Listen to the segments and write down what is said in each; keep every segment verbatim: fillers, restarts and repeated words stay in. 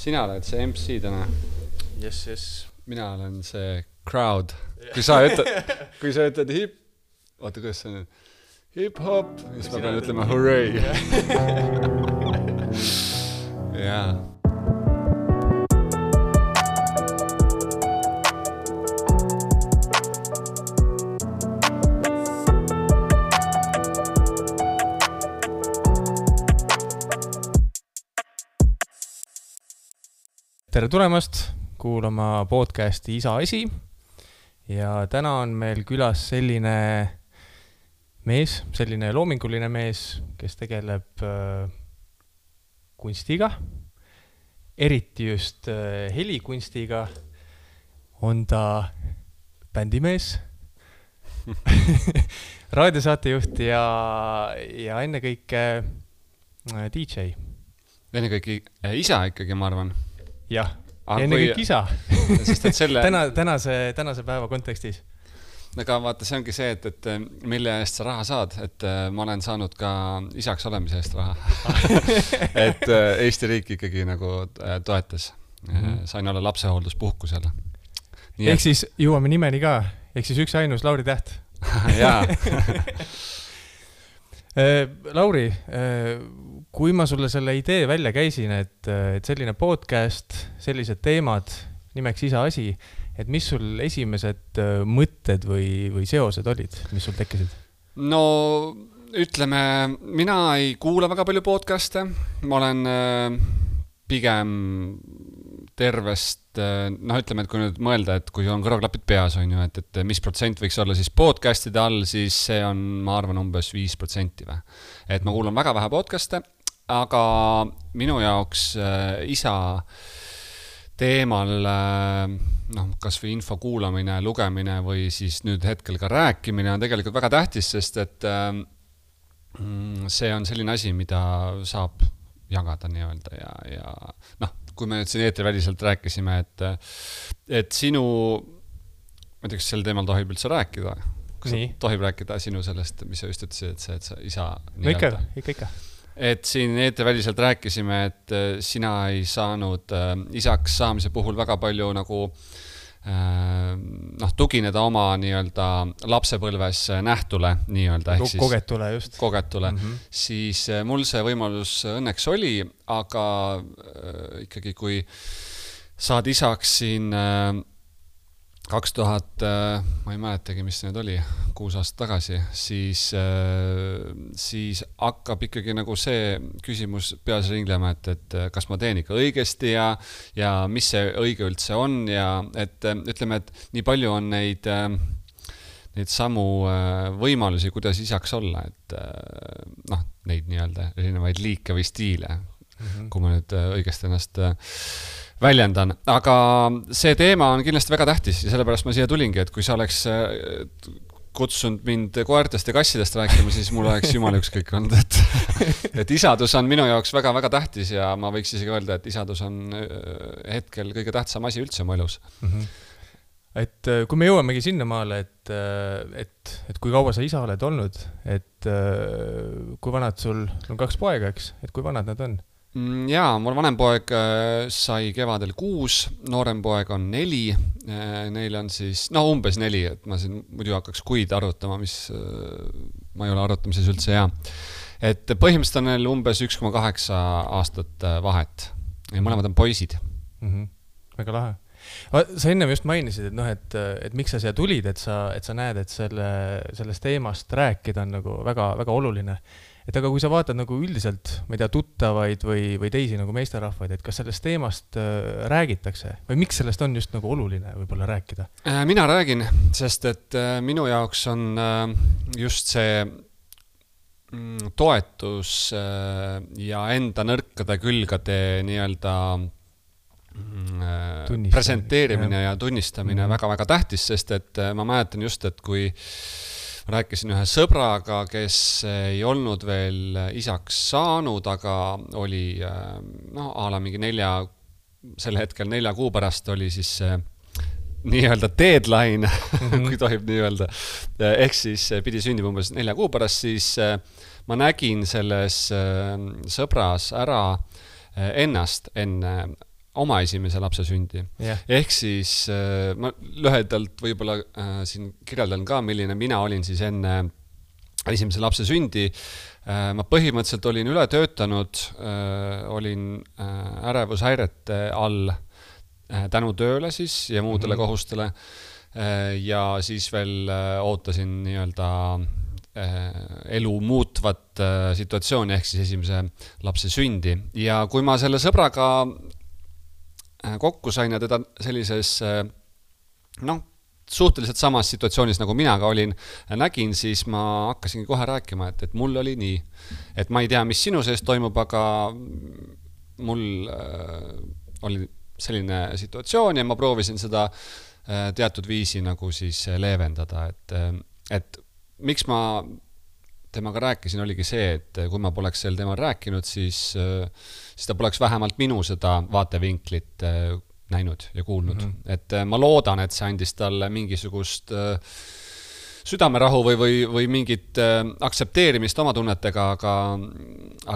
Sina oled see M C täna. Yes, yes. Mina olen see crowd. Kui sa ütled, kui sa ütled hip... Oota, kuidas see on? Hip-hop. Siis ma pean ütlema hurray. Jaa. Tere tulemast kuulama podcasti Isa Asi ja täna on meil külas selline mees, selline loominguline mees, kes tegeleb äh, kunstiga, eriti just äh, helikunstiga, on ta bändimees, raadiosaatejuht ja, ja ennekõike äh, D J. Ennekõike äh, isa ikkagi, ma arvan. Jah, enne kõik isa. Sest et selle... Täna, tänase, tänase päeva kontekstis. Aga vaata, see ongi see, et, et mille eest sa raha saad, et ma olen saanud ka isaks olemise eest raha. et Eesti riik ikkagi nagu toetas. Mm-hmm. Sain olla lapsehoolduspuhkusel. Ehk et... siis jõuame nimeni ka. Ehk siis üks ainus Lauri Täht. Jaa. Lauri, kui ma sulle selle idee välja käisin, et, et selline podcast, sellised teemad, nimeks Isa Asi, et mis sul esimesed mõtted või, või seosed olid, mis sul tekkisid? No ütleme, mina ei kuula väga palju podcaste, ma olen pigem tervest, noh ütleme, et kui nüüd mõelda, et kui on kõrvaklapid peas, on ju, et, et mis protsent võiks olla siis podcastide all, siis see on, ma arvan, umbes viis protsenti või. Et ma kuulan väga vähe podcaste, aga minu jaoks äh, isa teemal, äh, noh, kas või info kuulamine, lugemine või siis nüüd hetkel ka rääkimine on tegelikult väga tähtis, sest et äh, see on selline asi, mida saab jagada nii-öelda ja, ja noh, kui me nüüd siin eetriväliselt rääkisime, et, et sinu, ma ei tea, kas sel teemal tohib üldse rääkida? Kas tohib rääkida sinu sellest, mis sa just ütlesid, et see, et sa isa... No ikka, ikka, ikka. Et siin eetriväliselt rääkisime, et sina ei saanud isaks saamise puhul väga palju nagu noh, tugineda oma nii-öelda lapsepõlves nähtule nii-öelda. Ehk siis, kogetule just. Kogetule. Mm-hmm. Siis mul see võimalus õnneks oli, aga äh, ikkagi kui saad isaks siin äh, kaks tuhat, äh, ma ei mäletagi, mis see nüüd oli, kuus aastat tagasi, siis, äh, siis hakkab ikkagi nagu see küsimus peas ringlema, et, et kas ma teen ikka õigesti ja, ja mis see õige üldse on ja et ütleme, et nii palju on neid, neid samu võimalusi, kuidas isaks olla, et noh, neid nii-öelda erinevaid liike või stiile, mm-hmm. kui ma nüüd õigesti ennast väljendan, aga see teema on kindlasti väga tähtis ja sellepärast ma siia tulingi, et kui sa oleks kutsunud mind koertest ja kassidest rääkima, siis mul oleks jumala ükskõik olnud, et, et isadus on minu jaoks väga-väga tähtis ja ma võiks isegi öelda, et isadus on hetkel kõige tähtsam asi üldse mu elus. Mm-hmm. Et kui me jõuamegi sinna maale, et, et, et kui kaua sa isa oled olnud, et kui vanad sul on kaks poega, eks, et kui vanad nad on? Jaa, mul vanem poeg sai kevadel kuus, noorem poeg on neli, neil on siis, no umbes neli, et ma siin muidu hakkaks kuid arvutama, mis ma ei ole arvutamises üldse hea. Et põhimõtteliselt on neil umbes üks koma kaheksa aastat vahet ja mõlemad on poisid. Mm-hmm. Väga lahe. Sa ennem just mainisid, et, noh, et, et miks sa siia tulid, et sa, et sa näed, et selle, sellest teemast rääkida on nagu väga, väga oluline. Et aga kui sa vaatad nagu üldiselt, ma ei tea, tuttavaid või, või teisi nagu meesterahvaid, et kas sellest teemast äh, räägitakse või miks sellest on just nagu oluline võib-olla rääkida? Mina räägin, sest et äh, minu jaoks on äh, just see mm, toetus äh, ja enda nõrkade külgade nii-öelda mm, presenteerimine ja, ja tunnistamine mm-hmm. väga-väga tähtis, sest et äh, ma mäletan just, et kui ma rääkisin ühe sõbraga, kes ei olnud veel isaks saanud, aga oli noh, ala mingi nelja, selle hetkel nelja kuu pärast oli siis nii-öelda deadline, mm-hmm. kui tohib nii öelda. Ehk siis pidi sündima umbes nelja kuu pärast, siis ma nägin selles sõbras ära ennast enne oma esimese lapse sündi. Yeah. Ehk siis ma lühedalt võib-olla siin kirjeldan ka, milline mina olin siis enne esimese lapse sündi. Ma põhimõtteliselt olin üle töötanud, olin ärevushäirete all tänu tööle siis ja muudele mm-hmm. kohustele ja siis veel ootasin nii-öelda elu muutvat situatsiooni ehk siis esimese lapse sündi. Ja kui ma selle sõbraga kokku sain ja teda sellises noh, suhteliselt samas situatsioonis nagu mina ka olin, nägin, siis ma hakkasingi kohe rääkima, et, et mul oli nii. Et ma ei tea, mis sinu sees toimub, aga mul äh, oli selline situatsioon ja ma proovisin seda äh, teatud viisi nagu siis leevendada, et, et miks ma temaga rääkisin, oligi see, et kui ma poleks sel teemal rääkinud, siis, siis ta poleks vähemalt minu seda vaatevinklit näinud ja kuulnud. Mm-hmm. Et ma loodan, et see andis talle mingisugust südamerahu või, või, või mingit aktsepteerimist oma tunnetega, aga,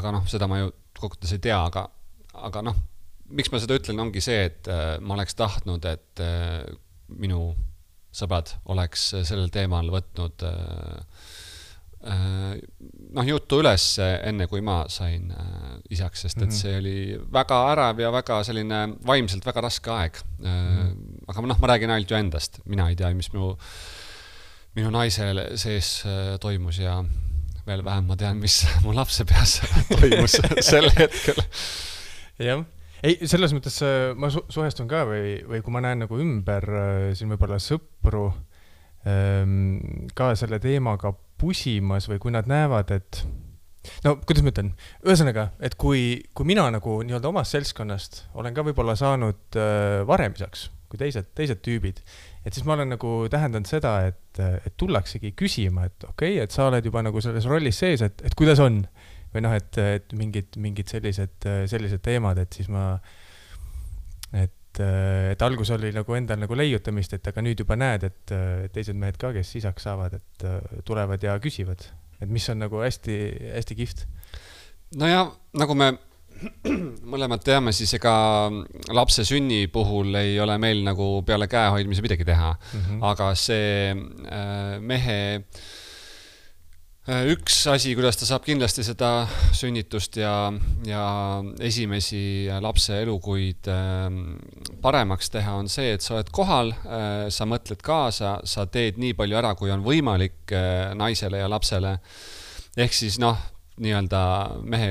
aga noh, seda ma ju kokkuvõttes ei tea, aga, aga noh, miks ma seda ütlen, ongi see, et ma oleks tahtnud, et minu sõbrad oleks sellel teemal võtnud noh, juttu üles enne, kui ma sain isaks, sest et see oli väga ärev ja väga selline vaimselt väga raske aeg. Mm-hmm. Aga noh, ma räägin ainult ju endast. Mina ei tea, mis minu, minu naisele sees toimus ja veel vähem ma tean, mis mu lapse peas toimus sel hetkel. Jah. Ei, selles mõttes ma su- suhestun ka või, või kui ma näen nagu ümber siin võib-olla sõpru ka selle teemaga pusimas või kui nad näevad, et no, kuidas ma ütlen, ühesõnaga, et kui, kui mina nagu nii-öelda omast selskonnast olen ka võib-olla saanud varemisaks kui teised, teised tüübid, et siis ma olen nagu tähendanud seda, et, et tullaksegi küsima, et okei, okay, et sa oled juba nagu selles rollis sees, et, et kuidas on või noh, et, et mingid, mingid sellised, sellised teemad, et siis ma et et algus oli nagu endal nagu leiutamist, et aga nüüd juba näed, et teised mehed ka, kes isaks saavad, et tulevad ja küsivad, et mis on nagu hästi, hästi kihvt. No ja nagu me mõlemad teame, siis ega lapse sünni puhul ei ole meil nagu peale käehoidmise midagi teha, mm-hmm. aga see mehe üks asi, kuidas ta saab kindlasti seda sünnitust ja, ja esimesi lapse elukuid paremaks teha, on see, et sa oled kohal, sa mõtled kaasa, sa teed nii palju ära, kui on võimalik naisele ja lapsele. Ehk siis noh, nii-öelda mehe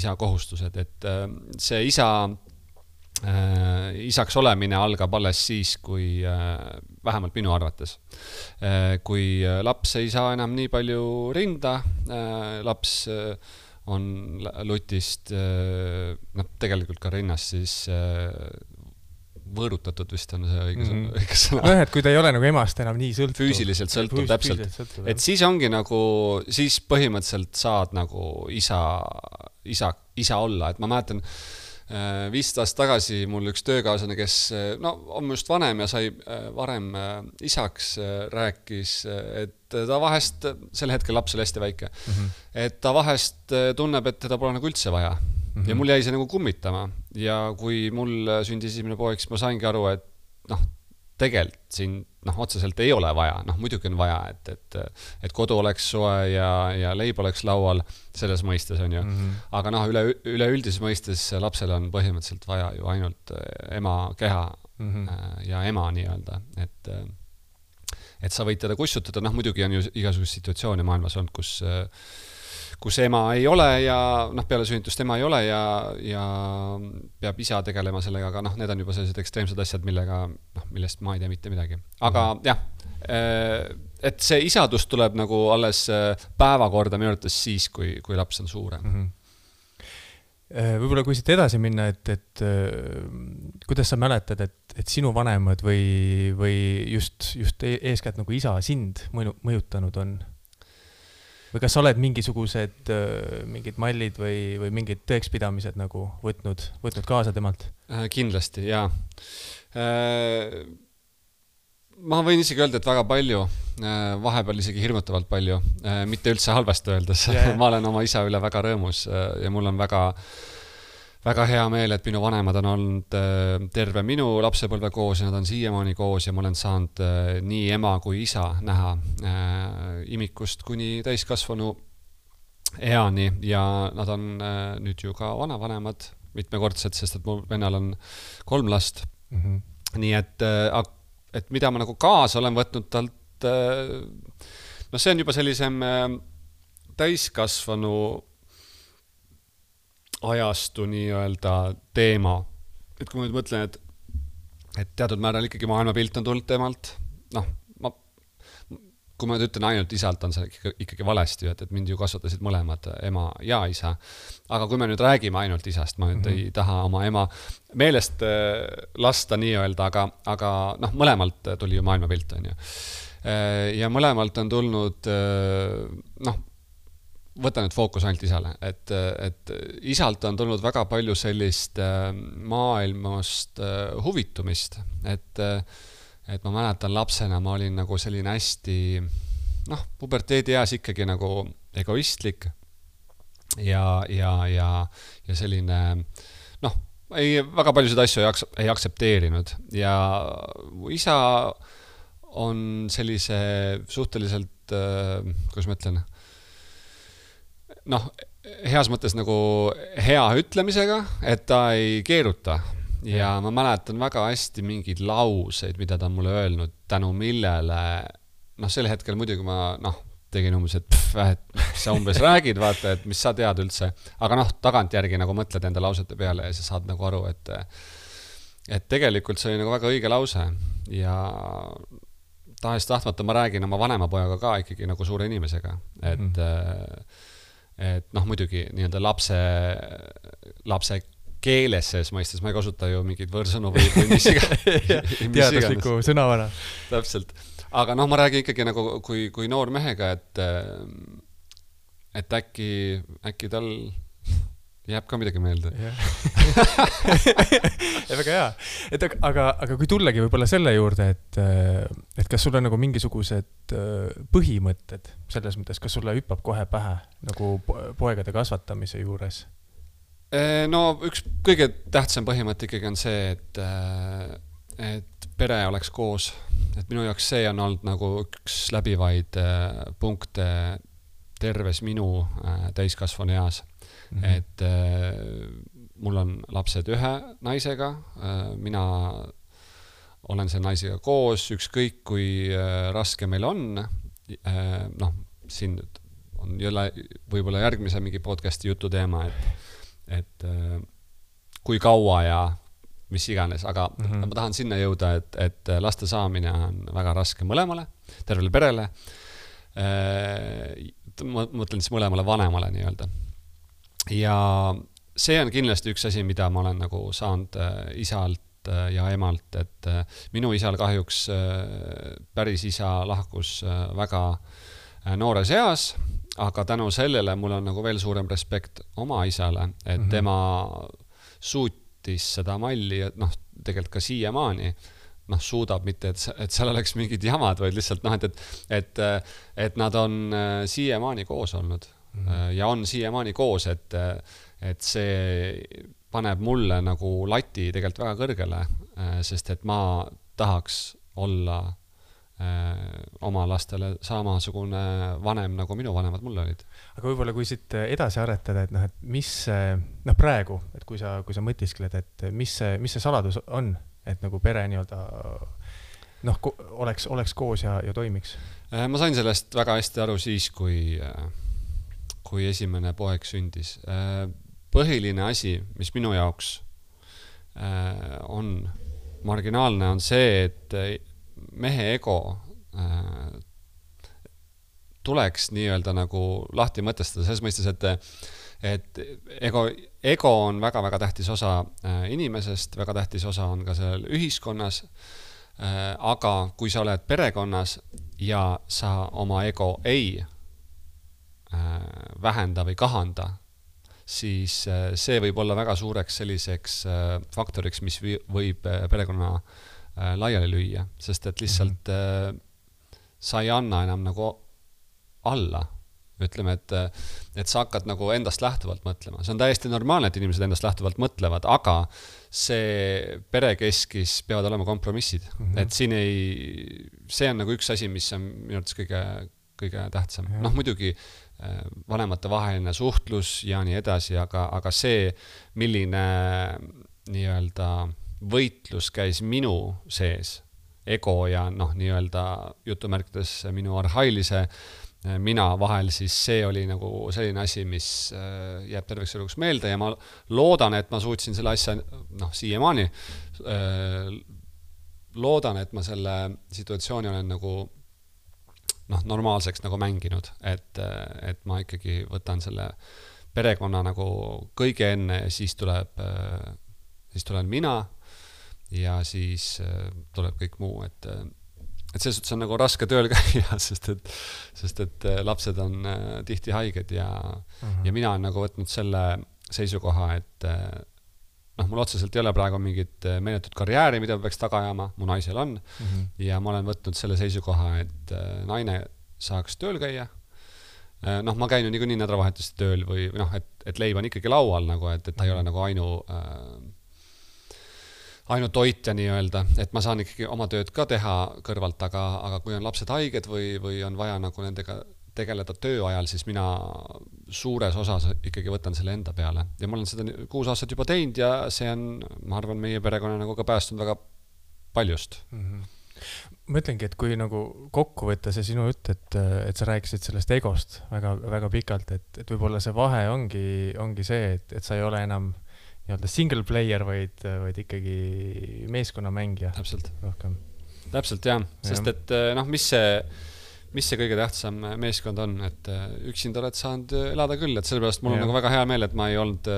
isa kohustused, et see isa Äh, isaks olemine algab alles siis, kui äh, vähemalt minu arvates. Äh, kui laps ei saa enam nii palju rinda, äh, laps äh, on lutist, äh, noh, tegelikult ka rinnast siis äh, võõrutatud vist on see õige sõna. Mm. sõna. No, et kui ta ei ole nagu emast enam nii sõltuv. Füüsiliselt sõltuv, Füüs, täpselt. Sõltuv, et siis ongi nagu, siis põhimõtteliselt saad nagu isa, isa, isa olla, et ma mäletan, viis aastat tagasi mul üks töökaaslane, kes no, on just vanem ja sai varem isaks, rääkis, et ta vahest, sel hetkel laps oli hästi väike, mm-hmm. et ta vahest tunneb, et teda pole nagu üldse vaja. Mm-hmm. Ja mul jäi see nagu kummitama. Ja kui mul sündis esimene poeg, siis ma saingi aru, et noh, tegelikult siin noh, otseselt ei ole vaja, noh muidugi on vaja, et, et, et kodu oleks soe ja, ja leib oleks laual, selles mõistes on ju. Mm-hmm. Aga noh, üle, üle üldises mõistes lapsele on põhimõtteliselt vaja ju ainult ema keha mm-hmm. ja ema nii-öelda, et, et sa võid teda kussutada, noh muidugi on ju igasugust situatsioone maailmas olnud, kus kus ema ei ole ja noh, peale sünnitust ema ei ole ja, ja peab isa tegelema sellega, aga noh, need on juba sellised ekstreemsed asjad, millega, noh, millest ma ei tea mitte midagi. Aga mm-hmm. jah, et see isadus tuleb nagu alles päevakorda minu arvates siis, kui, kui laps on suurem. Mm-hmm. Võib-olla kui siit edasi minna, et, et kuidas sa mäletad, et, et sinu vanemad või, või just, just eeskätt nagu isa sind mõjutanud on? Või kas sa oled mingisugused mingid mallid või, või mingid tõekspidamised nagu võtnud, võtnud kaasa temalt? Kindlasti, jaa. Ma võin isegi öelda, et väga palju, vahepeal isegi hirmutavalt palju, mitte üldse halvasti öeldes. Yeah. Ma olen oma isa üle väga rõõmus ja mul on väga, väga hea meel, et minu vanemad on olnud terve minu lapsepõlve koos ja nad on siiamaani koos ja ma olen saanud nii ema kui isa näha imikust kuni täiskasvanu eani ja nad on nüüd ju ka vanavanemad mitmekordsed, sest et mu vennal on kolm last. Mm-hmm. Nii et, et mida ma nagu kaasa olen võtnud talt, no see on juba sellisem täiskasvanu ajastu nii-öelda teema. Et kui ma nüüd mõtlen, et, et teatud määral ikkagi maailmapilt on tulnud temalt, noh, ma, kui ma nüüd ütlen ainult isalt, on see ikkagi, ikkagi valesti, et, et mind ju kasvatasid mõlemad ema ja isa. Aga kui me nüüd räägime ainult isast, ma nüüd mm-hmm. ei taha oma ema meelest lasta nii-öelda, aga, aga noh, mõlemalt tuli ju maailmapilt, on ju. Ja mõlemalt on tulnud, noh, võta nüüd fookus ainult isale, et, et isalt on tulnud väga palju sellist maailmast huvitumist, et, et ma mäletan lapsena, ma olin nagu selline hästi, noh, puberteedi eas ikkagi nagu egoistlik ja, ja, ja, ja selline, noh, ei, väga paljusid asju ei, aks- ei aksepteerinud ja isa on sellise suhteliselt, kuidas ma ütlen, noh, heas mõttes nagu hea ütlemisega, et ta ei keeruta. Ja ma mäletan väga hästi mingeid lauseid, mida ta on mulle öelnud, tänu millele, noh, sel hetkel muidugi ma, noh, tegin umbes, et, pff, et sa umbes räägid, vaata, et mis sa tead üldse. Aga noh, tagantjärgi nagu mõtled enda lausete peale ja sa saad nagu aru, et, et tegelikult see oli nagu väga õige lause. Ja tahes tahtmata ma räägin oma vanema pojaga ka ikkagi nagu suure inimesega, et mm. et noh, muidugi nii-öelda lapse, lapse keeles sees mõistes, ma ei kasuta ju mingeid võõrsõnu või, või mis iganes. Teadusliku sõnavara. Täpselt. Aga noh, ma räägin ikkagi nagu kui, kui noor mehega, et, et äkki, äkki tal jääb ka midagi meelde. Ja, väga hea. Et, aga, aga kui tullagi võib-olla selle juurde, et, et kas sul on nagu mingisugused põhimõtted selles mõttes, kas sulle hüppab kohe pähe nagu poegade kasvatamise juures? No üks kõige tähtsam põhimõte ikkagi on see, et, et pere oleks koos. Et minu jaoks see on olnud nagu üks läbivaid punkte terves minu täiskasvanu eas. Mm-hmm. Et äh, mul on lapsed ühe naisega, äh, mina olen selle naisega koos, ükskõik kui äh, raske meil on, äh, noh, siin on jälle võib-olla järgmise mingi podcasti jutu teema, et, et äh, kui kaua ja mis iganes, aga mm-hmm. ma tahan sinna jõuda, et, et laste saamine on väga raske mõlemale, tervele perele, äh, ma mõtlen siis mõlemale vanemale nii-öelda. Ja see on kindlasti üks asi, mida ma olen nagu saanud isalt ja emalt, et minu isal kahjuks päris isa lahkus väga noores eas, aga tänu sellele mul on nagu veel suurem respekt oma isale, et mm-hmm. tema suutis seda malli, et noh, tegelikult ka siiamaani noh, suudab mitte, et, et seal oleks mingid jamad, vaid lihtsalt noh, et, et, et nad on siiamaani koos olnud. Ja on siiamaani koos, et, et see paneb mulle nagu lati tegelikult väga kõrgele, sest et ma tahaks olla oma lastele samasugune vanem, nagu minu vanemad mulle olid. Aga võib-olla kui siit edasi aretada, et noh, et mis noh, praegu, et kui sa, kui sa mõtiskled, et mis see, mis see saladus on, et nagu pere nii-öelda noh, oleks, oleks koos ja, ja toimiks? Ma sain sellest väga hästi aru siis, kui kui esimene poeg sündis. Põhiline asi, mis minu jaoks on marginaalne, on see, et mehe ego tuleks nii-öelda nagu lahti mõtestada, selles mõistes, et, et ego, ego on väga-väga tähtis osa inimesest, väga tähtis osa on ka seal ühiskonnas, aga kui sa oled perekonnas ja sa oma ego ei vähenda või kahanda, siis see võib olla väga suureks selliseks faktoriks, mis võib perekonna laiali lüüa, sest et lihtsalt mm-hmm. sa ei anna enam nagu alla ütleme, et, et sa hakkad nagu endast lähtuvalt mõtlema. See on täiesti normaalne, et inimesed endast lähtuvalt mõtlevad, aga see perekeskis peavad olema kompromissid. Mm-hmm. Et siin ei, see on nagu üks asi, mis on minu arvates kõige, kõige tähtsam. Mm-hmm. Noh, muidugi vanemate vaheline suhtlus ja nii edasi, aga, aga see, milline nii-öelda võitlus käis minu sees, ego ja noh, nii-öelda jutumärkides minu arhailise mina vahel, siis see oli nagu selline asi, mis jääb terveks eluks meelde ja ma loodan, et ma suutsin selle asja, noh, siiamaani loodan, et ma selle situatsiooni olen nagu noh, normaalseks nagu mänginud, et, et ma ikkagi võtan selle perekonna nagu kõige enne ja siis tuleb, siis tulen mina ja siis tuleb kõik muu, et et selles suhtes on nagu raske tööl käia, sest et, sest et lapsed on tihti haiged ja, uh-huh. ja mina olen nagu võtnud selle seisukoha, et noh, mul otseselt ei ole praegu mingit meeletut karjääri, mida peaks taga ajama, mu naisel on uh-huh. ja ma olen võtnud selle seisukoha, et naine saaks tööl käia. Noh, ma käin ju niikuinii nädalavahetuste tööl või noh, et, et leib on ikkagi laual nagu, et, et ta ei ole nagu ainu äh, ainult toitja nii-öelda, et ma saan ikkagi oma tööd ka teha kõrvalt, aga, aga kui on lapsed haiged või, või on vaja nagu nendega tegeleda töö ajal, siis mina suures osas ikkagi võtan selle enda peale. Ja ma olen seda kuus aastat juba teinud ja see on, ma arvan, meie perekonna nagu ka päästunud väga paljust. Mm-hmm. Ma ütlengi, et kui nagu kokku võtta see sinu jutt, et, et sa rääkisid sellest egost väga, väga pikalt, et, et võib-olla see vahe ongi, ongi see, et, et sa ei ole enam nii-öelda single player, vaid, vaid ikkagi meeskonnamängija. Täpselt. Rohkem. Täpselt, jah. Sest ja. Et noh, mis see, mis see kõige tähtsam meeskond on, et üksinda oled saanud elada küll, et sellepärast mul on ja. Nagu väga hea meel, et ma ei olnud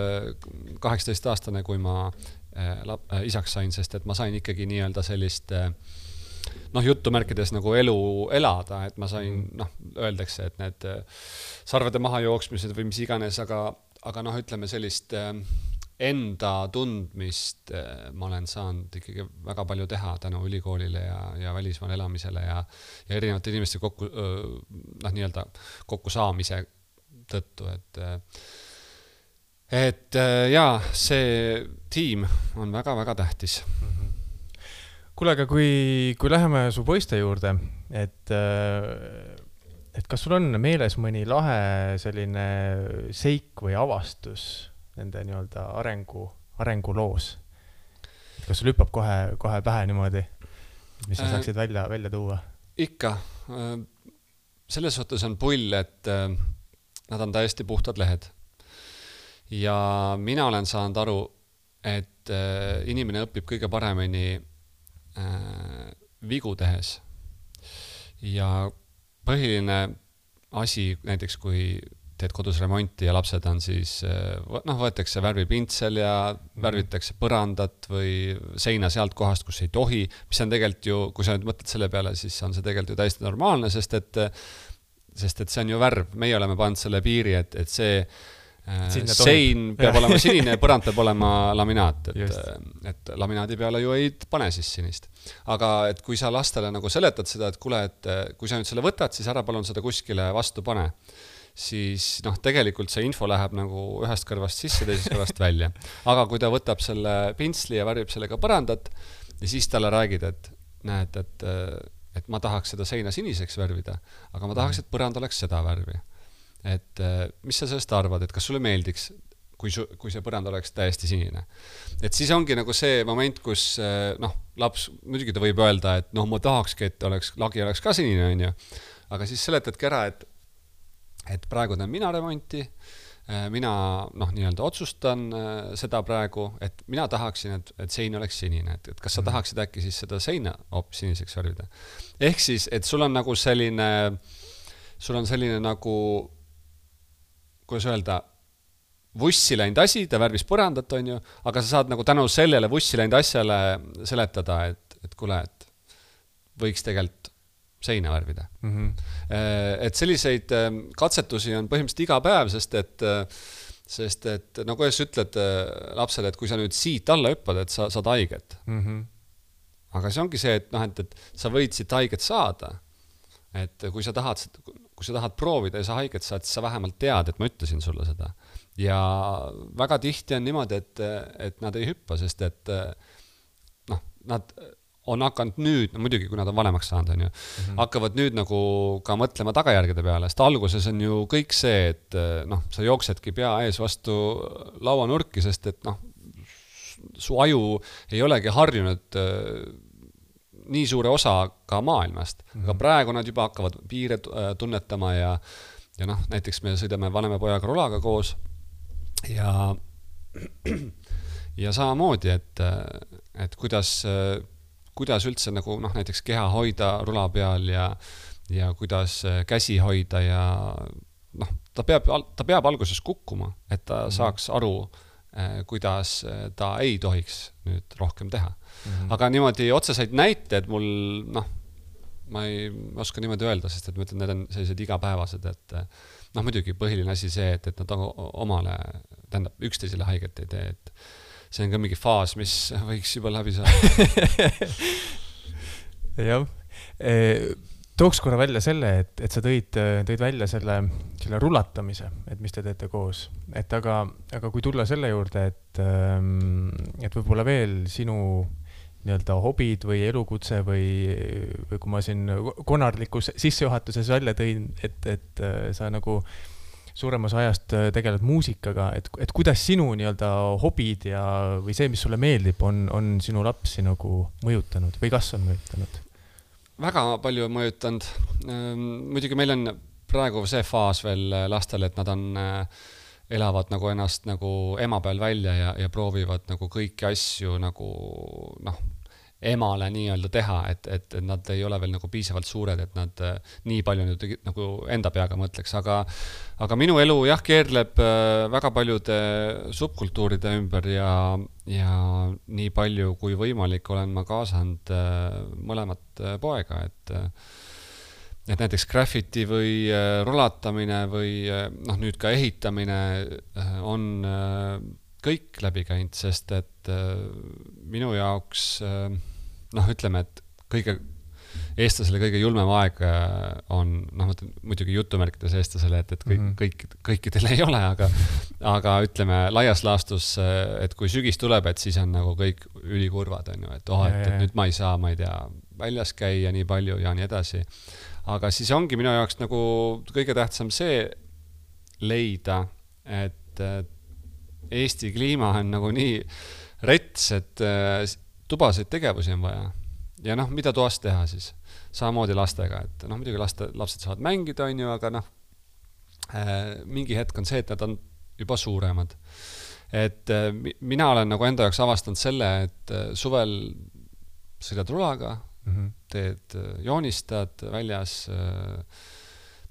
kaheksateist aastane, kui ma lap, isaks sain, sest et ma sain ikkagi nii-öelda sellist noh, jutumärkides nagu elu elada, et ma sain, noh, öeldakse, et need sarvede maha jooksmised või mis iganes, aga, aga noh, ütleme sellist enda tundmist ma olen saanud ikkagi väga palju teha tänu ülikoolile ja, ja välismaal elamisele ja, ja erinevate inimeste kokku, noh, nii-öelda kokku saamise tõttu, et et jaa, see tiim on väga-väga tähtis. Kuule, aga kui, kui läheme su poiste juurde, et, et kas sul on meeles mõni lahe selline seik või avastus nende nii-öelda arengu, arenguloos? Kas sul hüppab kohe, kohe pähe niimoodi, mis sa saaksid välja, välja tuua? Ikka. Selles suhtes on pull, et nad on täiesti puhtad lehed. Ja mina olen saanud aru, et inimene õpib kõige paremini vigu tehes. Ja põhiline asi, näiteks kui teed kodus remonti ja lapsed on siis, noh, võetakse värvipintsel ja värvitakse põrandat või seina sealt kohast, kus ei tohi, mis on tegelikult ju, kui sa nüüd mõtled selle peale, siis on see tegelikult ju täiesti normaalne, sest et, sest et see on ju värv. Meie oleme pannud selle piiri, et, et see Sinne sein peab olema sinine ja põrand peab olema laminaat, et, et laminaadi peale ju ei pane siis sinist. Aga et kui sa lastele nagu seletad seda, et kuule, et kui sa nüüd selle võtad, siis ära palun seda kuskile vastu pane, siis noh, tegelikult see info läheb nagu ühest kõrvast sisse, teisest kõrvast välja. Aga kui ta võtab selle pintsli ja värvib sellega põrandat ja siis talle räägid, et näed, et, et ma tahaks seda seina siniseks värvida, aga ma tahaks, et põrand oleks seda värvi. Et mis sa sellest arvad, et kas sulle meeldiks, kui, su, kui see põrand oleks täiesti sinine. Et siis ongi nagu see moment, kus noh, laps, muidugi ta võib öelda, et noh, ma tahakski, et oleks, lagi oleks ka sinine, on ju. Aga siis seletadki ära, et, et praegu teen mina remonti, mina noh, nii-öelda otsustan seda praegu, et mina tahaksin, et, et sein oleks sinine, et, et kas sa tahaksid äkki siis seda seina hoopis siniseks värvida. Ehk siis, et sul on nagu selline, sul on selline nagu kuidas öelda, vussi läinud asi, ta värvis põrandat, on ju, aga sa saad nagu tänu sellele vussi läinud asjale seletada, et, et kuule, et võiks tegelikult seina värvida. Mm-hmm. Et selliseid katsetusi on põhimõtteliselt iga päev, sest et, sest et no kuidas ütled lapsele, et kui sa nüüd siit alla hüppad, et sa saad haiget. Mm-hmm. Aga see ongi see, et, noh, et, et sa võid siit haiget saada. Et kui sa tahad, kui kui sa tahad proovida ja sa haiget saad, siis sa vähemalt tead, et ma ütlesin sulle seda. Ja väga tihti on niimoodi, et, et nad ei hüppa, sest et noh, nad on hakanud nüüd, no muidugi, kui nad on vanemaks saanud, on ju, mm-hmm. hakkavad nüüd nagu ka mõtlema tagajärgede peale, sest alguses on ju kõik see, et noh, sa jooksedki pea ees vastu lauanurki, sest et noh, su aju ei olegi harjunud nii suure osa ka maailmast, mm-hmm. aga praegu nad juba hakkavad piire tunnetama ja, ja noh, näiteks me sõidame vanema pojaga rulaga koos ja, ja samamoodi, et, et kuidas, kuidas üldse nagu noh, näiteks keha hoida rula peal ja, ja kuidas käsi hoida ja noh, ta peab, ta peab alguses kukkuma, et ta mm-hmm. saaks aru, kuidas ta ei tohiks nüüd rohkem teha. Mm-hmm. Aga niimoodi otseseid näited mul, noh, ma ei oska niimoodi öelda, sest et ma ütlen, need on sellised igapäevased, et noh, muidugi põhiline asi see, et, et nad omale, tähendab, üksteisele haiget ei tee, et see on ka mingi faas, mis võiks juba läbi saada. Jah. Tooks korra välja selle, et, et sa tõid, tõid välja selle, selle rulatamise, et mis te teete koos. Et aga, aga kui tulla selle juurde, et, et võib-olla veel sinu nii-öelda hobid või elukutse või, või kui ma siin konarlikus sissejuhatuses välja tõin, et, et sa nagu suuremas ajast tegeled muusikaga, et, et kuidas sinu nii-öelda hobid ja, või see, mis sulle meeldib, on, on sinu lapsi nagu mõjutanud või kas on mõjutanud? Väga palju on mõjutanud. Muidugi meil on praegu see faas veel lastel, et nad on, elavad nagu ennast nagu ema peal välja ja, ja proovivad nagu kõiki asju nagu noh, emale nii-öelda teha, et, et nad ei ole veel nagu piisavalt suured, et nad nii palju nüüd, nagu enda peaga mõtleks, aga, aga minu elu jah, keerleb väga paljude subkultuuride ümber ja, ja nii palju kui võimalik olen ma kaasanud mõlemat poega, et, et näiteks graffiti või rulatamine või noh, nüüd ka ehitamine on kõik läbi käinud, sest et minu jaoks noh, ütleme, et kõige eestlasele kõige julmem aeg on, noh, muidugi jutumärkides eestlasele, et, et kõik, mm-hmm. kõik, kõikidel ei ole, aga, aga ütleme laias laastus, et kui sügis tuleb, et siis on nagu kõik ülikurvad, on ju, et oh, et, et nüüd ma ei saa, ma ei tea, väljas käia nii palju ja nii edasi. Aga siis ongi minu jaoks nagu kõige tähtsam see leida, et Eesti kliima on nagu nii rets, et tubaseid tegevusi on vaja. Ja noh, mida toas teha siis? Samamoodi lastega, et noh, muidugi laste, lapsed saavad mängida, on ju, aga noh, mingi hetk on see, et nad on juba suuremad. Et mina olen nagu enda jaoks avastanud selle, et suvel sõidad rulaga, mm-hmm. teed, joonistad väljas,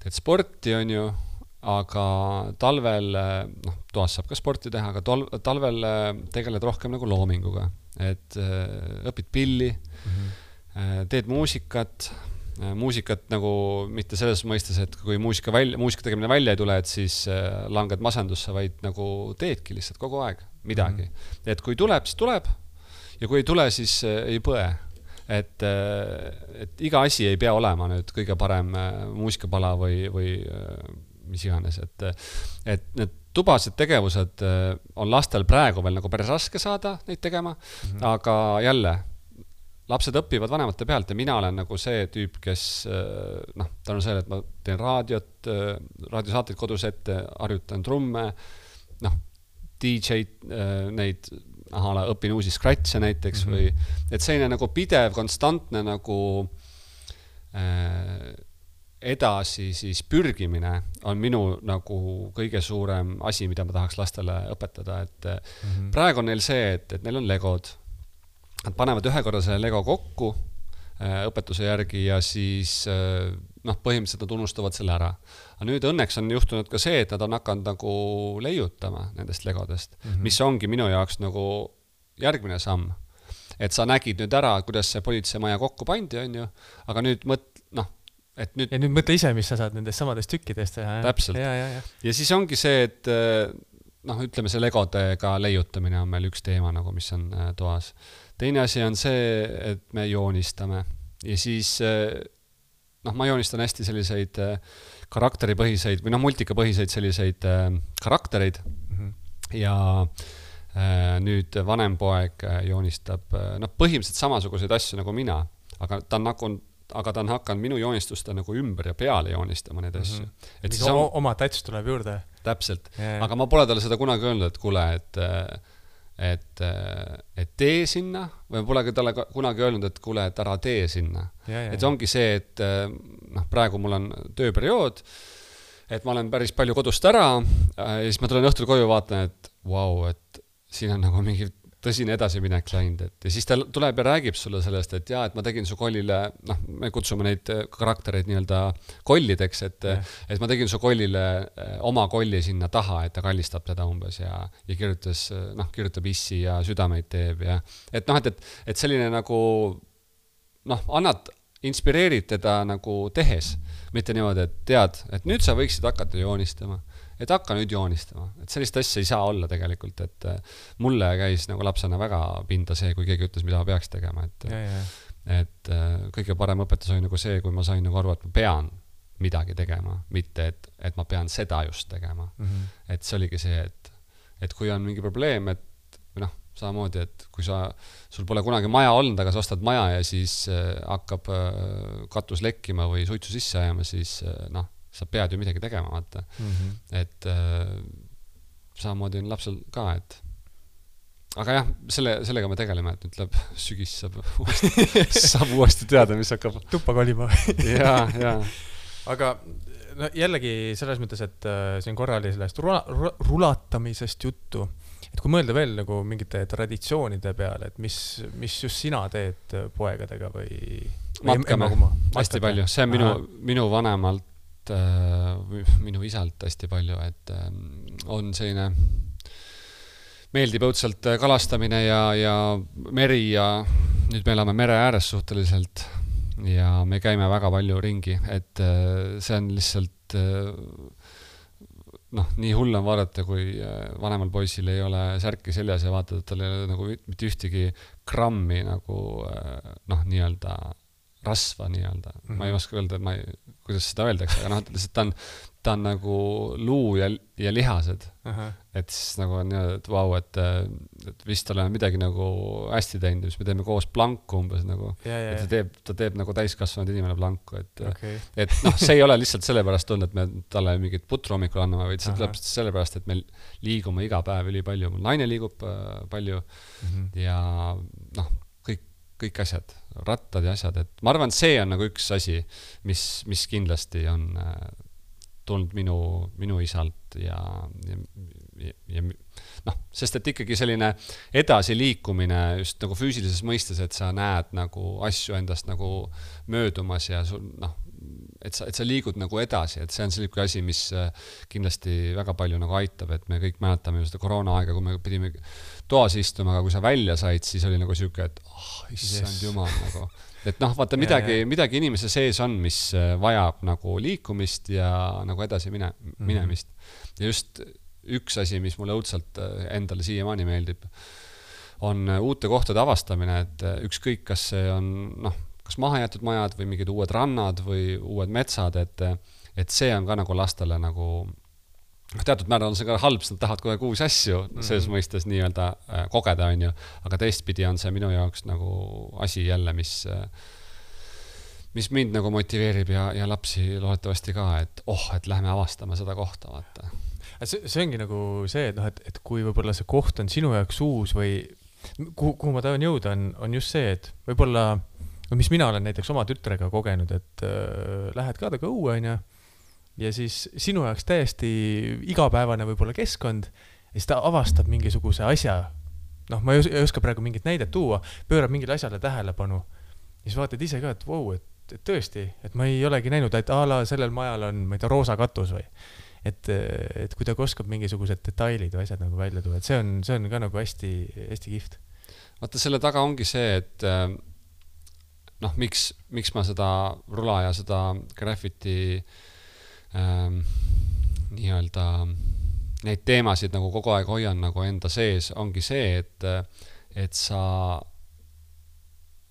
teed sporti, on ju, aga talvel, noh, toas saab ka sporti teha, aga tol, talvel tegeled rohkem nagu loominguga. Et õpid pilli, mm-hmm. teed muusikat, muusikat nagu mitte selles mõistes, et kui muusika, välja, muusika tegemine välja ei tule, et siis langed masendusse, vaid nagu teedki lihtsalt kogu aeg midagi. Mm-hmm. Et kui tuleb, siis tuleb ja kui ei tule, siis ei põe. Et, et iga asi ei pea olema nüüd kõige parem muusikapala või, või mis iganes, et, et need tubased tegevused on lastel praegu veel nagu päris raske saada neid tegema, mm-hmm. aga jälle, lapsed õpivad vanemate pealt ja mina olen nagu see tüüp, kes noh, ta on see, et ma teen raadiot, raadiosaateid kodus ette, harjutan trumme, noh, D J neid, aha, õpin uusi scratche näiteks mm-hmm. või, et selline nagu pidev, konstantne nagu äh, edasi siis pürgimine on minu nagu kõige suurem asi, mida ma tahaks lastele õpetada, et mm-hmm. praegu on neil see, et, et neil on legod. Nad panevad ühe korra selle lego kokku äh, õpetuse järgi ja siis äh, noh, põhimõtteliselt nad unustavad selle ära. Aga nüüd õnneks on juhtunud ka see, et nad on hakanud nagu leiutama nendest legodest, mm-hmm. mis ongi minu jaoks nagu järgmine samm. Et sa nägid nüüd ära, kuidas see politseemaja kokku pandi, on ju, aga nüüd mõt, noh, et nüüd... Ja nüüd mõtle ise, mis sa saad nendest samadest tükkidest teha. Täpselt. Ja, ja, ja. ja siis ongi see, et noh, ütleme see legodega leiutamine on meil üks teema, nagu, mis on toas. Teine asi on see, et me joonistame ja siis noh, ma joonistan hästi selliseid karakteripõhiseid või noh, multikapõhiseid selliseid äh, karaktereid mm-hmm. ja äh, nüüd vanem poeg joonistab äh, noh, põhimõtteliselt samasuguseid asju nagu mina, aga ta on nagu aga ta on hakanud minu joonistusta nagu ümber ja peale joonistama need asju. Mm-hmm. Et siis on... oma täts tuleb juurde. Täpselt. Yeah. Aga ma pole talle seda kunagi öelnud, et kuule, et, et, et tee sinna või pole talle kunagi öelnud, et kuule, et ära tee sinna. Yeah, yeah. Et ongi see, et noh, praegu mul on tööperiood, et ma olen päris palju kodust ära ja siis ma tulen õhtul koju vaatan, et vau, wow, et siin on nagu mingi tõsine edasiminek läinud, et ja siis ta tuleb ja räägib sulle sellest, et jaa, et ma tegin su kollile, noh, me kutsume neid karaktereid nii-öelda kollideks, et, et ma tegin su kollile oma kolli sinna taha, et ta kallistab teda umbes ja, ja kirjutas, noh, kirjutab issi ja südameid teeb ja et noh, et, et, et selline nagu noh, annad, inspireerid teda nagu tehes, mitte niimoodi, et tead, et nüüd sa võiksid hakata joonistama. Et hakka nüüd joonistama. Et sellist asja ei saa olla tegelikult, et mulle käis nagu lapsena väga pinda see, kui keegi ütles, mida ma peaks tegema. Et, ja, ja. et kõige parem õpetus oli nagu see, kui ma sain nagu aru, et ma pean midagi tegema, mitte et, et ma pean seda just tegema. Mm-hmm. Et see oligi see, et, et kui on mingi probleem, et noh, samamoodi, et kui sa, sul pole kunagi maja olnud, aga sa ostad maja ja siis hakkab katus lekkima või suitsu sisse ajama, siis noh, sa pead ju midagi tegema, vaata. Mm-hmm. Et äh, samamoodi on lapsel ka, et aga jah, selle, sellega me tegeleme, et nüüd läheb sügis, saab uuesti, saab uuesti teada, mis hakkab tuppa kolima. ja, ja. Aga no, jällegi selles mõttes, et äh, siin korra oli sellest rula, rula, rulatamisest juttu, et kui mõelda veel nagu mingite traditsioonide peale, et mis, mis just sina teed poegadega või matkame, hästi palju, see on minu, minu vanemalt minu isalt hästi palju, et on selline meeldib õudselt kalastamine ja, ja meri ja nüüd me elame mere ääres suhteliselt ja me käime väga palju ringi, et see on lihtsalt noh, nii hull on vaadata, kui vanemal poisil ei ole särki seljas ja vaatad, et tal ei ole nagu mitte ühtegi grammi nagu noh, nii-öelda rasva nii-öelda. Mm-hmm. Ma ei oska öelda, et ma ei, kuidas seda öeldakse, aga noh, lihtsalt ta on, ta on nagu luu ja, ja lihased. Uh-huh. Et siis nagu on nii, et vau, et, et vist oleme midagi nagu hästi teinud, mis me teeme koos planku umbes nagu. Ja, ja, et ta teeb, ta teeb nagu täiskasvanud inimene planku. Et, okay. et noh, see ei ole lihtsalt sellepärast olnud, et me talle mingit putru hommikul anname, vaid see tuleb sellepärast, et me liigume iga päev üli palju. Mul naine liigub palju mm-hmm. ja noh, kõik, kõik asjad, rattad ja asjad. Et ma arvan, see on nagu üks asi, mis, mis kindlasti on tulnud minu, minu isalt ja, ja, ja, ja noh, sest et ikkagi selline edasi liikumine just nagu füüsilises mõistes, et sa näed nagu asju endast nagu möödumas ja sul, noh, et sa, et sa liigud nagu edasi, et see on selline asi, mis kindlasti väga palju nagu aitab, et me kõik mäletame ju seda koroona aega, kui me pidime toas istuma, aga kui sa välja said, siis oli nagu siuke, et oh, issand yes. jumal nagu. Et noh, vaata midagi, ja, ja. midagi inimese sees on, mis vajab nagu liikumist ja nagu edasi mine, minemist. Ja just üks asi, mis mulle õudselt endale siiamaani meeldib, on uute kohtade avastamine, et ükskõik, kas see on noh, kas mahajäetud majad või mingid uued rannad või uued metsad, et, et see on ka nagu lastele nagu teatud määral on see ka halb, nad tahavad kohe uusi asju selles mm-hmm. mõistes nii-öelda kogeda, on ju, aga teistpidi on see minu jaoks nagu asi jälle, mis, mis mind nagu motiveerib ja, ja lapsi loodetavasti ka, et oh, et lähme avastama seda kohta, vaata. See, see ongi nagu see, et, noh, et, et kui võib-olla see koht on sinu jaoks uus või kuhu, kuhu ma tahan jõuda, on, on just see, et võib-olla, mis mina olen näiteks oma tütrega kogenud, et äh, lähed ka taga õue, on ju, ja siis sinu jaoks täiesti igapäevane võib-olla keskkond ja siis ta avastab mingisuguse asja, noh, ma ei oska praegu mingit näidet tuua, pöörab mingile asjale tähelepanu ja siis vaatad ise ka, et vau, et, et tõesti, et ma ei olegi näinud, et a la sellel majal on, ma ei tea, roosa katus või et, et kui ta oskab mingisugused detailid või asjad nagu välja tuua, et see on, see on ka nagu hästi, hästi kiht. Vaata, selle taga ongi see, et noh, miks, miks ma seda rula ja seda graffiti Ähm, nii-öelda neid teemasid nagu kogu aeg hoian nagu enda sees, ongi see, et, et sa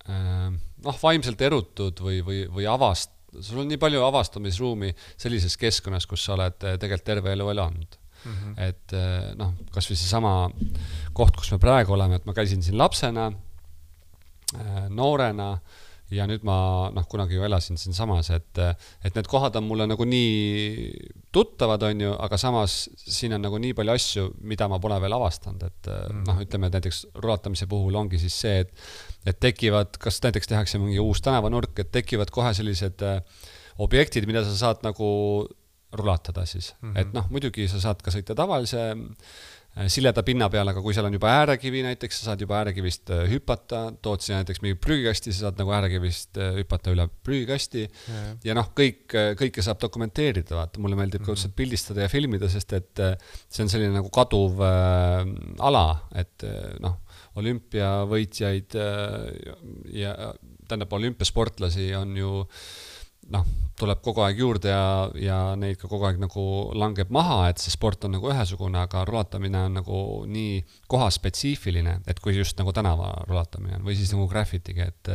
ähm, noh, vaimselt erutud või, või, või avast, sul on nii palju avastamisruumi sellises keskkonnas, kus sa oled tegelikult terve elu elanud. Mm -hmm. Et noh, kas või see sama koht, kus me praegu oleme, et ma käisin siin lapsena, noorena ja nüüd ma noh, kunagi ju elasin siin samas, et, et need kohad on mulle nagu nii tuttavad, on ju, aga samas siin on nagu nii palju asju, mida ma pole veel avastanud, et mm. noh, ütleme, et näiteks rulatamise puhul ongi siis see, et, et tekivad, kas näiteks tehakse mingi uus tänavanurk, et tekivad kohe sellised objektid, mida sa saad nagu rulatada siis, mm-hmm. et noh, muidugi sa saad ka sõita tavalise sileda pinna peal, aga kui seal on juba äärekivi näiteks, sa saad juba äärekivist hüpata, tood siia näiteks mingi prügikasti, sa saad nagu äärekivist hüpata üle prügikasti ja, ja noh, kõik, kõike saab dokumenteerida, vaata, mulle meeldib mm-hmm. ka pildistada ja filmida, sest et see on selline nagu kaduv äh, ala, et noh, olümpiavõitjaid ja, ja tähendab, olümpiasportlasi on ju noh, tuleb kogu aeg juurde ja, ja neid ka kogu aeg nagu langeb maha, et see sport on nagu ühesugune, aga rulatamine on nagu nii kohaspetsiifiline, et kui just nagu tänava rulatamine on või siis nagu graffitiga, et,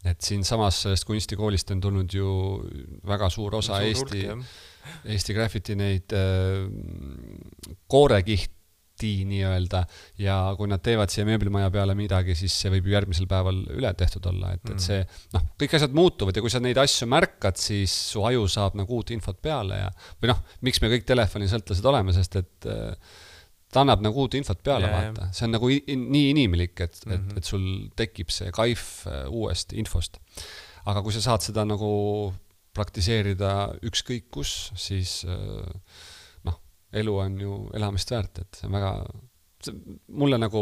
et siin samas sellest kunstikoolist on tulnud ju väga suur osa suur Eesti, urk, Eesti graffiti neid äh, koorekiht nii-öelda ja kui nad teevad siia mööblimaja peale midagi, siis see võib ju järgmisel päeval üle tehtud olla, et, et see, noh, kõik asjad muutuvad ja kui sa neid asju märkad, siis su aju saab nagu uut infot peale ja, või noh, miks me kõik telefonisõltlased oleme, sest et ta annab nagu uut infot peale, yeah, vaata. See on nagu in, nii inimlik, et, mm-hmm. et, et sul tekib see kaif uuest infost. Aga kui sa saad seda nagu praktiseerida ükskõik kus, siis elu on ju elamist väärt, et see on väga, see, mulle nagu,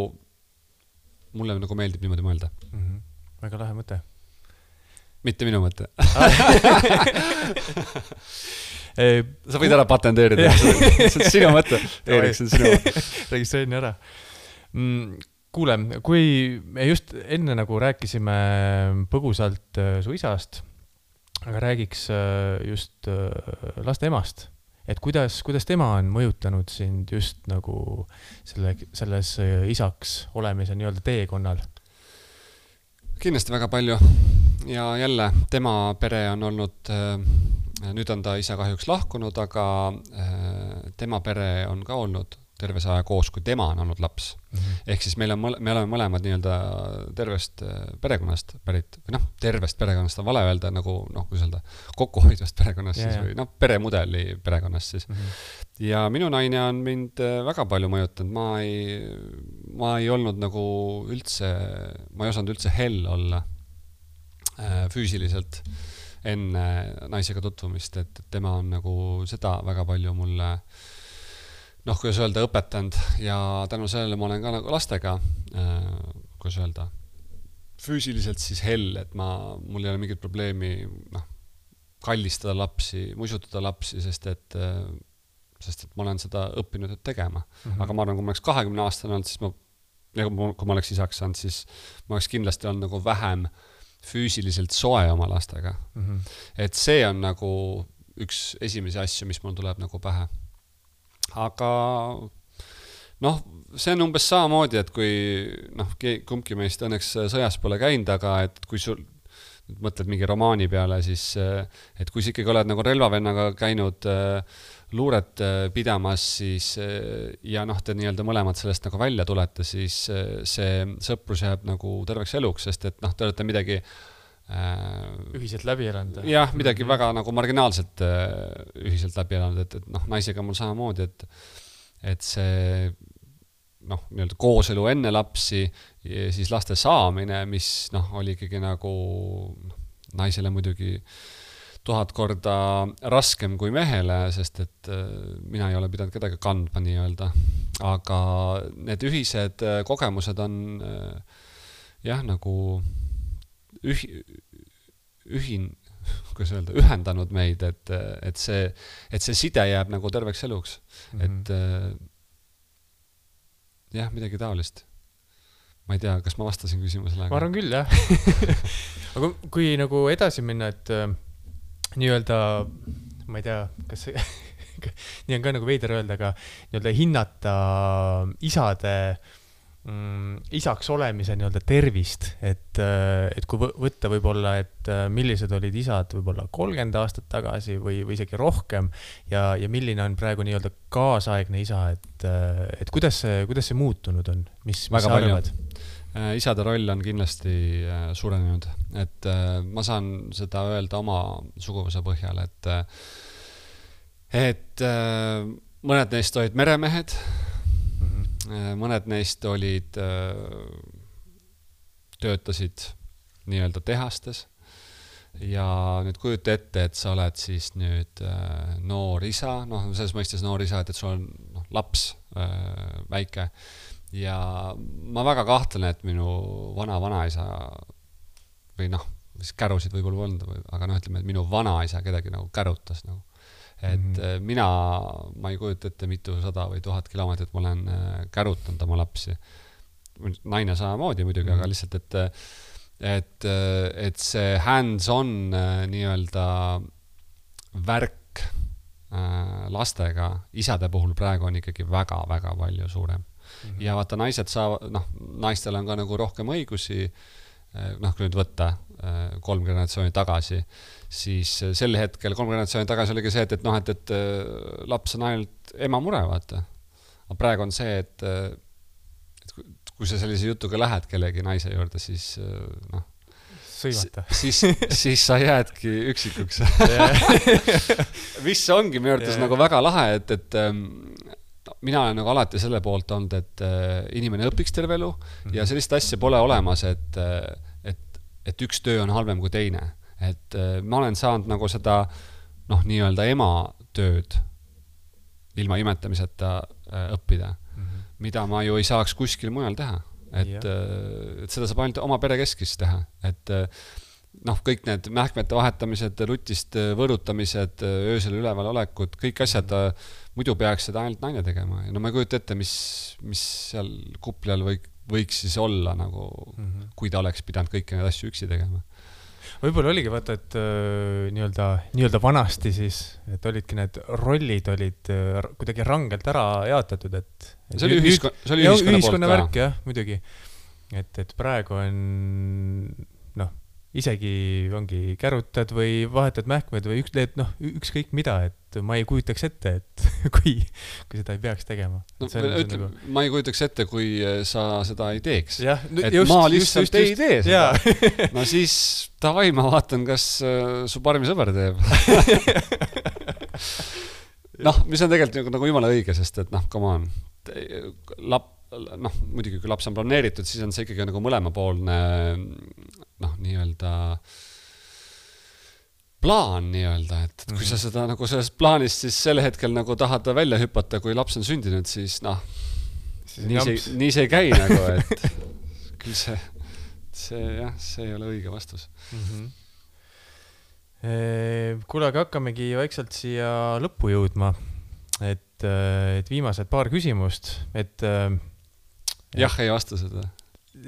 mulle nagu meeldib niimoodi mõelda. Mm-hmm. Väga lahe mõte. Mitte minu mõte. Sa võid ära patenteerida. See on sinu mõte. Erik, see on sinu mõte. Registreerin ära. Kuule, kui me just enne nagu rääkisime põgusalt su isast, aga räägiks just laste emast. Et kuidas, kuidas tema on mõjutanud sind just nagu selle, selles isaks olemise nii-öelda teekonnal? Kindlasti väga palju. Ja jälle, tema pere on olnud, nüüd on ta isa kahjuks lahkunud, aga tema pere on ka olnud terves aja koos, kui tema on olnud laps. Mm-hmm. Ehk siis meil on, me oleme mõlemad nii-öelda tervest perekonnast pärit, või noh, tervest perekonnast on vale öelda, nagu noh, kui öelda, kokkuhoidvast perekonnast yeah, siis, või noh, peremudeli perekonnast siis. Mm-hmm. Ja minu naine on mind väga palju mõjutanud, ma ei, ma ei olnud nagu üldse, ma ei osanud üldse hell olla äh, füüsiliselt enne naisega tutvumist, et tema on nagu seda väga palju mulle noh, kuidas öelda, õpetanud ja tänu sellele ma olen ka nagu lastega, äh, kuidas öelda, füüsiliselt siis hell, et ma, mul ei ole mingit probleemi noh, kallistada lapsi, muisutada lapsi, sest et, äh, sest et ma olen seda õppinud tegema. Mm-hmm. Aga ma arvan, kui ma oleks kahekümne aastane olnud, siis ma, kui ma oleks isaks saanud, siis ma oleks kindlasti olnud nagu vähem füüsiliselt soe oma lastega. Mm-hmm. Et see on nagu üks esimesi asju, mis mul tuleb nagu pähe. Aga noh, see on umbes samamoodi, et kui noh, kumbki meist õnneks sõjas pole käinud, aga et kui sul mõtled mingi romaani peale, siis et kui sa ikkagi oled nagu relvavennaga käinud luuret pidamas, siis ja noh, te nii-öelda mõlemad sellest nagu välja tulete, siis see sõprus jääb nagu terveks eluks, sest et noh, te olete midagi ühiselt läbi elanud. Jah, midagi väga nagu marginaalselt ühiselt läbi elanud, et, et noh, naisega mul samamoodi, et, et see noh, nii-öelda kooselu enne lapsi ja siis laste saamine, mis noh, oli ikkagi nagu naisele muidugi tuhat korda raskem kui mehele, sest et mina ei ole pidanud kedagi kandma nii-öelda, aga need ühised kogemused on jah, nagu Ühi, ühin, kuidas öelda, ühendanud meid, et, et, see, et see side jääb nagu terveks eluks. Mm-hmm. Et jah, midagi taolist. Ma ei tea, kas ma vastasin küsimusele. Ma arvan küll, jah. Aga kui nagu edasi minna, et nii-öelda, ma ei tea, kas see, nii on ka nagu veider öelda, aga nii-öelda hinnata isade mm, isaks olemise nii-öelda tervist, et, et kui võtta võib-olla, et millised olid isad võib-olla kolmkümmend aastat tagasi või, või isegi rohkem ja, ja milline on praegu nii-öelda kaasaegne isa, et, et kuidas see, kuidas see muutunud on, mis, mis sa arvad? Isade roll on kindlasti suurenenud, et ma saan seda öelda oma suguvõsa põhjal, et, et mõned neist olid meremehed, mm-hmm. mõned neist olid, töötasid nii-öelda tehastes ja nüüd kujuta ette, et sa oled siis nüüd noor isa, noh, selles mõistes noor isa, et, et sul on noh, laps väike. Ja ma väga kahtlen, et minu vana-vanaisa või noh, mis kärusid võib-olla polnud, aga noh, ütleme, et minu vanaisa kedagi nagu kärutas nagu. Et mm-hmm. mina, ma ei kujuta ette mitu sada või tuhat kilomeetrit ma olen kärutanud oma lapsi. Naine samamoodi muidugi, mm-hmm. aga lihtsalt, et, et, et see hands-on nii-öelda värk lastega isade puhul praegu on ikkagi väga-väga palju suurem. Mm-hmm. Ja vaata, naised saavad, noh, naistel on ka nagu rohkem õigusi, noh, kui nüüd võtta kolm generatsiooni tagasi, siis sel hetkel kolm generatsiooni tagasi oligi see, et, et noh, et, et laps on ainult ema mure, vaata. Aga praegu on see, et, et kui sa sellise jutuga lähed kellegi naise juurde, siis noh, sõimata. Siis, siis sa jäädki üksikuks. Mis ongi minu arvates nagu väga lahe, et, et mina olen nagu alati selle poolt olnud, et inimene õpiks terve elu mm-hmm. ja sellist asja pole olemas, et, et, et üks töö on halvem kui teine. Et ma olen saanud nagu seda noh, nii-öelda ema tööd ilma imetamiseta õppida, mm-hmm. mida ma ju ei saaks kuskil mujal teha. Et, et seda saab ainult oma pere keskis teha. Et noh, kõik need mähkmete vahetamised, rutist võõrutamised, öösel üleval olekud, kõik asjad muidu peaks seda ainult naine tegema. Ja no ma ei kujuta ette, mis, mis seal kuplal võik, võiks siis olla, nagu, mm-hmm. kui ta oleks pidanud kõiki need asju üksi tegema. Võib-olla oligi vaata, et äh, nii-öelda, nii-öelda vanasti siis, et olidki need rollid olid äh, kuidagi rangelt ära jaotatud, et... et see oli ühiskonna, see oli ühiskonna, ühiskonna poolt värk, jah, muidugi. Et, et praegu on, noh, isegi ongi kärutad või vahetad mähkmed või üks, noh, ükskõik mida, et ma ei kujutaks ette, et kui, kui seda ei peaks tegema. No, ütle, nagu... Ma ei kujutaks ette, kui sa seda ei teeks. Ja, et just, ma lihtsalt just, just, ei tee seda. Ja. No siis tavai, ma vaatan, kas uh, su parmi sõber teeb. Noh, mis on tegelikult nagu, nagu jumala õige, sest et noh, come on, lap, noh, muidugi kui laps on planeeritud, siis on see ikkagi nagu mõlemapoolne noh, nii-öelda plaan nii-öelda, et kui sa seda nagu sellest plaanist siis selle hetkel nagu tahad välja hüpata, kui laps on sündinud, siis noh, nii see, nii see ei käi nagu, et küll see, see jah, see ei ole õige vastus. Mm-hmm. Kuule, aga hakkamegi vaikselt siia lõppu jõudma, et, et viimased paar küsimust, et jah, ei vasta seda.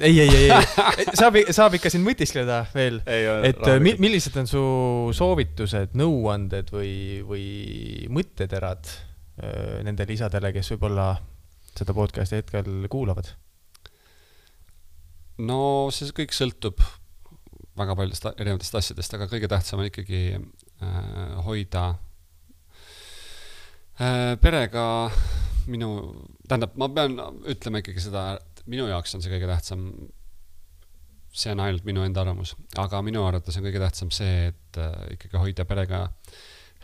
Ei, ei, ei, ei. Saab, saab ikka siin mõtiskleda veel, ei, et mi, millised on su soovitused, nõuanded või, või mõtteterad nendele isadele, kes võib-olla seda podcasti hetkel kuulavad? No see kõik sõltub väga paljudest erinevatest asjadest, aga kõige tähtsam on ikkagi äh, hoida äh, perega minu, tähendab, ma pean ütlema ikkagi seda, minu jaoks on see kõige tähtsam, see on ainult minu enda arvamus, aga minu arvates on kõige tähtsam see, et äh, ikkagi hoida perega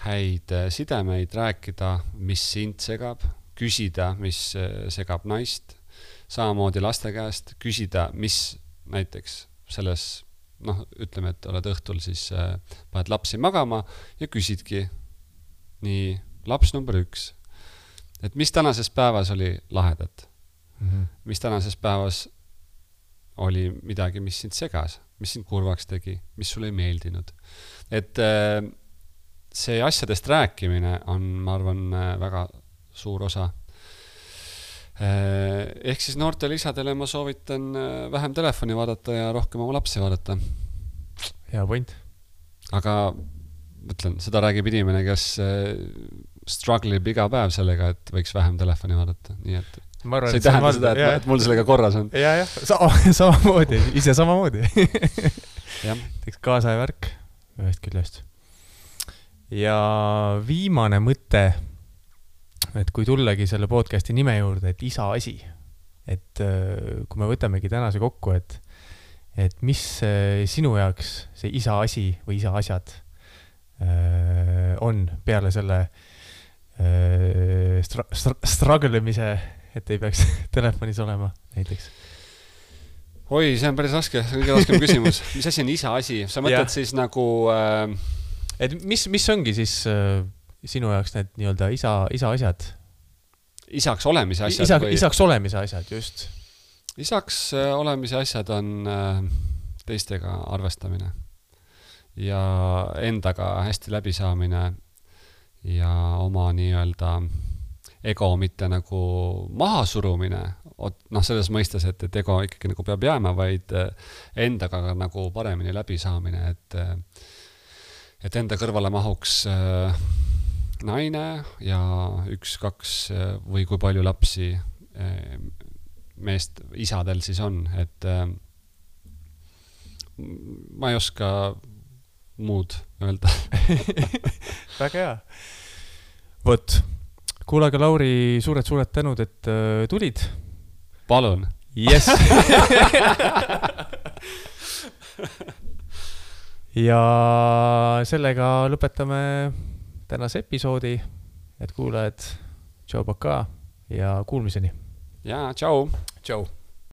häid sidemeid, rääkida, mis sind segab, küsida, mis segab naist, samamoodi laste käest, küsida, mis näiteks selles, noh, ütleme, et oled õhtul siis äh, paned lapsi magama ja küsidki nii laps number üks, et mis tänases päevas oli lahedat. Mm-hmm. Mis tänases päevas oli midagi, mis sind segas, mis sind kurvaks tegi, mis sulle ei meeldinud. Et see asjadest rääkimine on, ma arvan, väga suur osa. Ehk siis noortele isadele ma soovitan vähem telefoni vaadata ja rohkem oma lapsi vaadata. Hea point. Aga mõtlen, seda räägib inimene, kes struggleb iga päev sellega, et võiks vähem telefoni vaadata. Nii et see ei tähenda seda, et, et mul sellega korras on. Ja, jah, sama, samamoodi, ise samamoodi. Teeks kaasaja värk ühest küljest. Ja viimane mõte, et kui tullagi selle podcasti nime juurde, et isa asi, et kui me võtamegi tänase kokku, et, et mis sinu jaoks see isa asi või isa asjad on peale selle stra- stra- strugglemise, et ei peaks telefonis olema näiteks. Oi, see on päris raske, see on kõige raskem küsimus. Mis asi on isa asi? Sa mõtled ja. Siis nagu... Äh... Et mis, mis ongi siis äh, sinu jaoks need nii-öelda isa, isa asjad? Isaks olemise asjad? Isa, või... Isaks olemise asjad, just. Isaks äh, olemise asjad on äh, teistega arvestamine ja endaga hästi läbisaamine ja oma nii-öelda ego mitte nagu maha surumine, noh selles mõistes, et, et ego ikkagi nagu peab jääma, vaid endaga nagu paremini läbisaamine, et, et enda kõrvale mahuks naine ja üks, kaks või kui palju lapsi meest, isadel siis on, et ma ei oska muud öelda. Väga hea. Võt, kuulaga Lauri, suured-suured tänud, et äh, tulid. Palun. Yes. Ja sellega lõpetame tänase episoodi, et kuulajad, tšau, paka ja kuulmiseni. Ja, tšau. Tšau.